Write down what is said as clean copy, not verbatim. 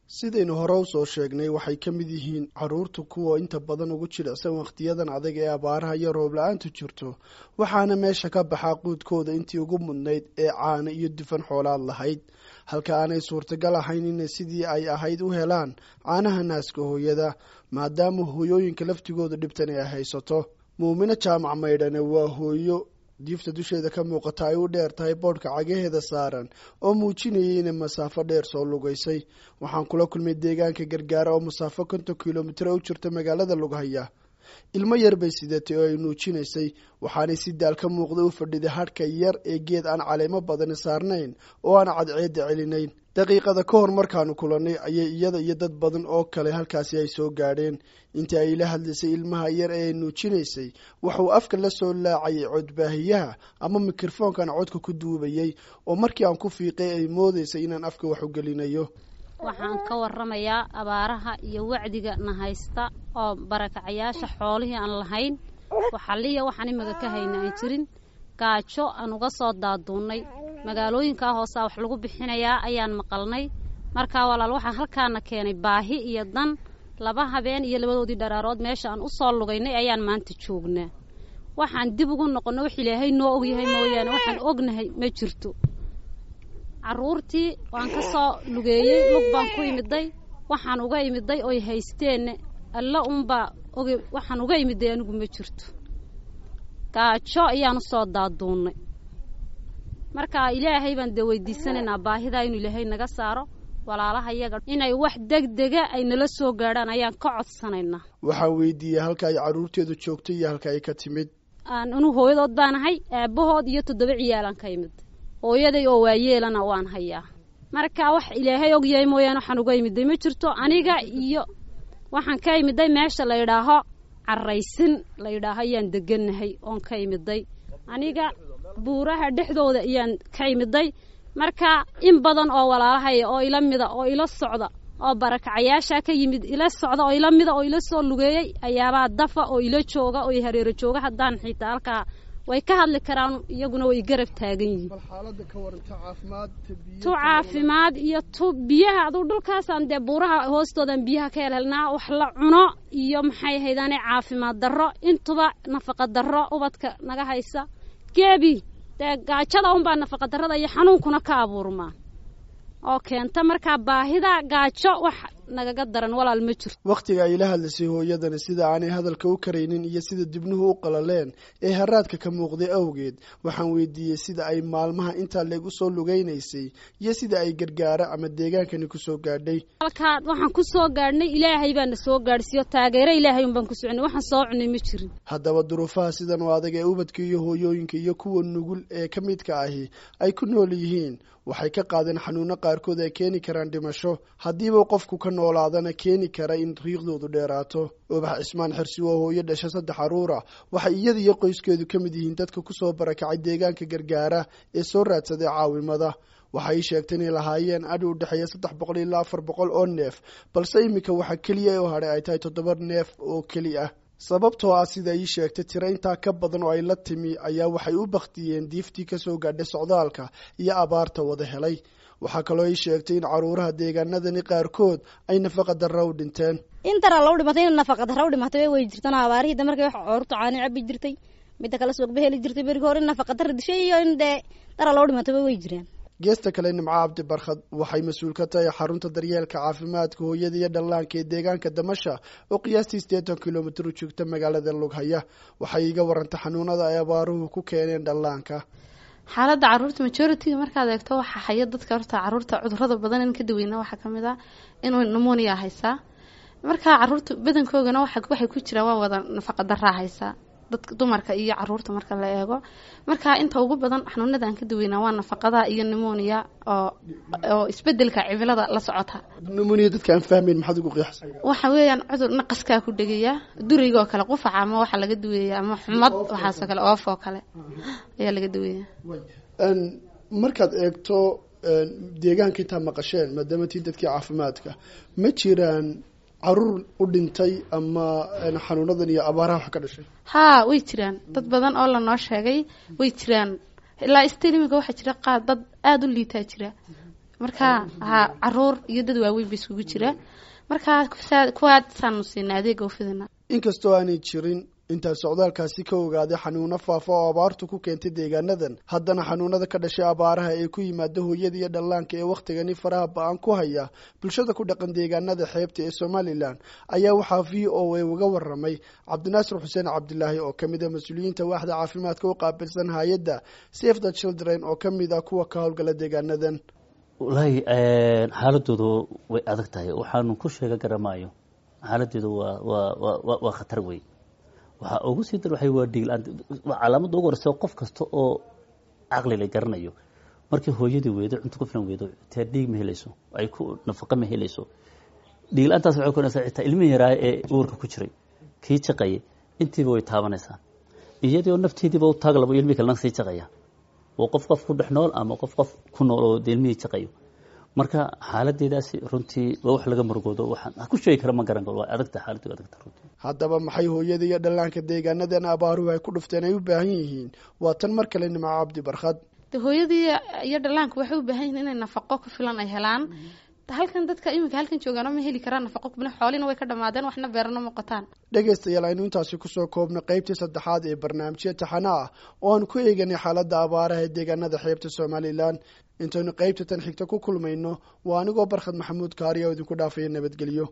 Sidaynu hore usoo sheegnay, waxay ka mid yihiin carruurta kuwa inta badan ugu jilicsan wakhtiyadan adag ee abaaraha iyo roob la-aantu jirto, waxaana meesha ka baxaa quudkooda intii ugu mudnayd ee caano iyo dufan xoolaad lahayd, halka aanay suurtagal ahayn inay sidii ay ahayd u helaan caanaha naaska hooyada, maadaama hooyooyinka laftigooda dhibtan ay haysato. Muumino Jaamac Maydhane waa hooyo diifta dusheeda ka muuqata ay u dheer tahay boodhka cagaheeda saaran oo muujinayay inay masaafo dheer soo lugaysay. Waxaan kula kulmay deegaanka Gargaara oo masaafo 50 kilomitir u jirta magaalada Lughaya. Ilmo yar bay sidatay oo ay nuujinaysay, waxaanay si daal ka muuqda u fadhiday hadhka yar ee geed aan caleemo badani saarnayn oo aan cadceedda celinayn. Daqiiqada ka hor markaanu kulannay ayay iyada iyo dad badan oo kale halkaasi ay soo gaadheen. Intii ay la hadlaysay ilmaha yar ee ay nuujinaysay, waxauu afka la soo laacayay codbaahiyaha ama mikrofoonkan codka ku duubayay, oo markii aan ku fiiqay ay moodaysay inaan afka wax u gelinayo. Waxaan ka warramayaa abaaraha iyo wacdiga na haysta oo barakacayaasha xoolihii aan lahayn, waxaliya waxaan imaga ka hayna aan jirin, gaajo aan uga soo daaduunnay. Magaalooyinkaa hoosaa wax lagu bixinayaa ayaan maqalnay. Markaa walaal, waxaa halkaana keenay baahi iyo dan. 2 habeen iyo labadoodii dharaarood meesha aan u soo lugaynay ayaan maanta joognaa. Waxaan dib ugu noqonno wax Ilaahay noo ogyahay mooyaane, waxaan ognahay ma jirto. Carruurtii waan ka soo lugeeyey, lug baan ku imiday. Waxaan uga imiday oy haysteenna alla unbaa oge. Waxaan uga imiday anigu ma jirto, gaajo ayaan usoo daaduunnay. Marka Ilaahay baan dee weydiisanaynaa baahidaa inuu Ilaahay naga saaro. Walaalaha yaga inay wax degdega ay nala soo gaadhaan ayaan ka codsanaynaa. Waxaan weydiiyey halka ay carruurteedu joogtay iyo halka ay ka timid. Aan anu hooyadood baanahay, aabbahood iyo 7 ciyaalaan ka imid. Hooyaday oo waayeelana waan hayaa. Marka wax Ilaahay ogyahay mooyaane, waxaan uga imiday ma jirto. Aniga iyo waxaan ka imiday meesha la yidhaaho Carraysin la yidhaaho ayaan degannahay oon ka imiday. Aniga buuraha dhexdooda ayaan ka imiday. Marka in badan oo walaalahaya oo ila mida oo ila socda oo barakacayaashaa ka yimid, ila socda oo ila mida oo ila soo lugeeyey ayaabaa dafa oo ila jooga oo hareero jooga. Haddaan xitaa halkaa way ka hadli karaan, iyaguna way garab taagan yihiin. Tu caafimaad iyo tu biyaha, aduu dhulkaasaan dee buuraha hoostoodan biyaha ka helhelnaa wax la cuno iyo maxay haydaane caafimaad darro, intuba nafaqa darro ubadka naga haysa. Geebi dee gaajada unbaa nafaqa darrada iyo xanuunkuna ka abuurmaa oo keenta. Markaa baahida gaajo wax nagaga daran, walaal, ma jirto. Wakhtiga ay la hadlaysay hooyadani, sida aanay hadalka u karaynin iyo sida dibnuhu u qalaleen ee haraadka ka muuqday awgeed, waxaan weydiiyey sida ay maalmaha intaa leeg usoo lugaynaysay iyo sida ay Gargaara ama deegaankani kusoo gaadhay. Halkaa waxaan ku soo gaadhnay Ilaahay baana soo gaadhsiiyo, taageero Ilaahay unbaan ku soconay. Waxaan soo cunay ma jirin. Haddaba duruufaha sidan oo adag ee ubadka iyo hooyooyinka iyo kuwa nugul ee ka midka ahi ay ku nool yihiin waxay ka qaadeen xanuuno qaarkood ay keeni karaan dhimasho, haddiiba qofku ka noolaadana keeni kara in riiqdoodu dheeraato. Ubax Cismaan Xirsi waa hooyo dhasha 3 carruura. Waxay iyada iyo qoyskeedu ka mid yihiin dadka kusoo barakacay deegaanka Gargaara ee soo raadsaday caawimada. Waxay sheegtay inay lahaayeen adhi u dhexeeya 300 ilaa 400 oo neef, balse iminka waxaa keliya oo hadhay ay tahay 7 neef oo keli ah, sababtoo ah sida ii sheegtay tiro intaa ka badan oo ay la timi ayaa waxay u baktiyeen diiftii kasoo gaadhay socdaalka iyo abaarta wada helay. Waxaa kaloo ii sheegtay in caruuraha deegaanadani qaarkood ay nafaqa darro u dhinteen. Intara loo dhimatay in nafaqa darro u dhimatay way jirtana. Abaarihii da markay wax caruurta caani cabi jirtay, midda kale suuqba heli jirtay berigi hore, in nafaqa darro dishay iyo in dee dara loo dhimatay way jiraan. Geesta kale, Nimco Cabdi Barkhad waxay mas-uul ka tahay xarunta daryeelka caafimaadka hooyada iyo dhallaanka ee deegaanka Damasha oo qiyaastii 80 kilomitir u joogta magaalada Lughaya. Waxay iga warantay xanuunada ay abaaruhu ku keeneen dhallaanka. Xaaladda caruurta majority-ga markaad eegto, waxaa haya dadka horta caruurta cudurada badan in ka daweyna waxaa kamid ah inuu pneumonia haysaa. Marka caruurta badankoogana waxay ku jiraan waa wada nafaqa daraa haysaa, dadka dumarka iyo caruurta marka la eego. Marka inta ugu badan xanuunada aan ka daweynaa waa nafaqada iyo pneumonia oo isbedelka cimilada la socota. Pneumonia dadka aan fahmayn maxaad ugu qeexsan? Waxa weeyaan cudur naqaskaa ku dhegaya, durayga oo kale, qufaca ama waxa laga duweeya ama xumad, waxaasoo kale, oof oo kale ayaa laga duweeya. Markaad eegto deegaanka intaa maqasheen, maadaama tii dadkii caafimaadka, ma jiraan caruur u dhintay ama xanuunadan iyo abaaraha wax ka dhashay? Haa, way jiraan dad badan oo lanoo sheegay, way jiraan. Ilaa still iminka waxaa jira qaar dad aada u liitaa jira. Marka ha, caruur iyo dad waaweyn ba isugu jira. Marka kuwaasaanu siinaa adeega ufidina. Inkastoo aanay jirin intaa socdaalkaasi ka ogaaday xanuuno faafa oo abaartu ku keentay deegaanadan, haddana xanuunada ka dhashay abaaraha ee ku yimaada hooyada iyo dhallaanka ee wakhtigani faraha ba-an ku haya bulshada ku dhaqan deegaanada xeebta ee Somalilan ayaa waxaa VOA uga waramay Cabdinaasir Xuseen Cabdilaahi oo ka mid ah mas-uuliyiinta waaxda caafimaadka u qaabilsan hay-adda Save the Children oo ka mid ah kuwa ka howlgala deegaanadan. Wallaahi, xaaladoodu way adag tahay. Waxaanu ku sheega garamaayo, xaaladeedu waa khatar wey. Waxaa ugu sii dar waxay waa dhiig la-aan. Waa calaamadda ugu horeysa qof kasta oo caqli la garanayo. Markii hooyadii weydo cunto ku filan, weydo xitaa dhiig ma helayso, ay ku nafaqo ma helayso. Dhiig la-aantaas waxay keenaysaa xitaa ilmihii yaraa ee uurka ku jiray, kii jaqayay, intiiba way taabanaysaa. Iyadoo nafteediiba u taag labo, ilmihii kalena sii jaqaya. Waa qof qof ku dhex nool ama qof qof ku nool oo dee ilmihii jaqayo. Marka xaaladeedaasi runtii waa wax laga murugoodo. Waxaan ku sheegi kara ma garan karo. Waa adagta xaaladdu, adagta runtii. Haddaba maxay hooyada iyo dhallaanka deegaanadan abaaruhu ay ku dhufteen ay u baahan yihiin? Waa tan mar kale Nimco Cabdi Barkhad. De hooyadii iyo dhallaanku waxay u baahan yihiin inay nafaqo ku filan ay helaan. Halkan dadka iminka halkan joogaano ma heli karaan nafaqo ku filan, xoolina way ka dhamaadeen, waxna beerana ma qotaan. Dhegaystayaal, aynu intaasi kusoo koobno qaybtii saddexaad ee barnaamijya taxane ah oo aan ku eeganay xaaladda abaaraha ee deegaanada xeebta Somalilan. Intaynu qaybta tan xigta ku kulmayno, waa anigoo Barkhad Maxamuud Kaariya oo idinku dhaafaya nabadgelyo.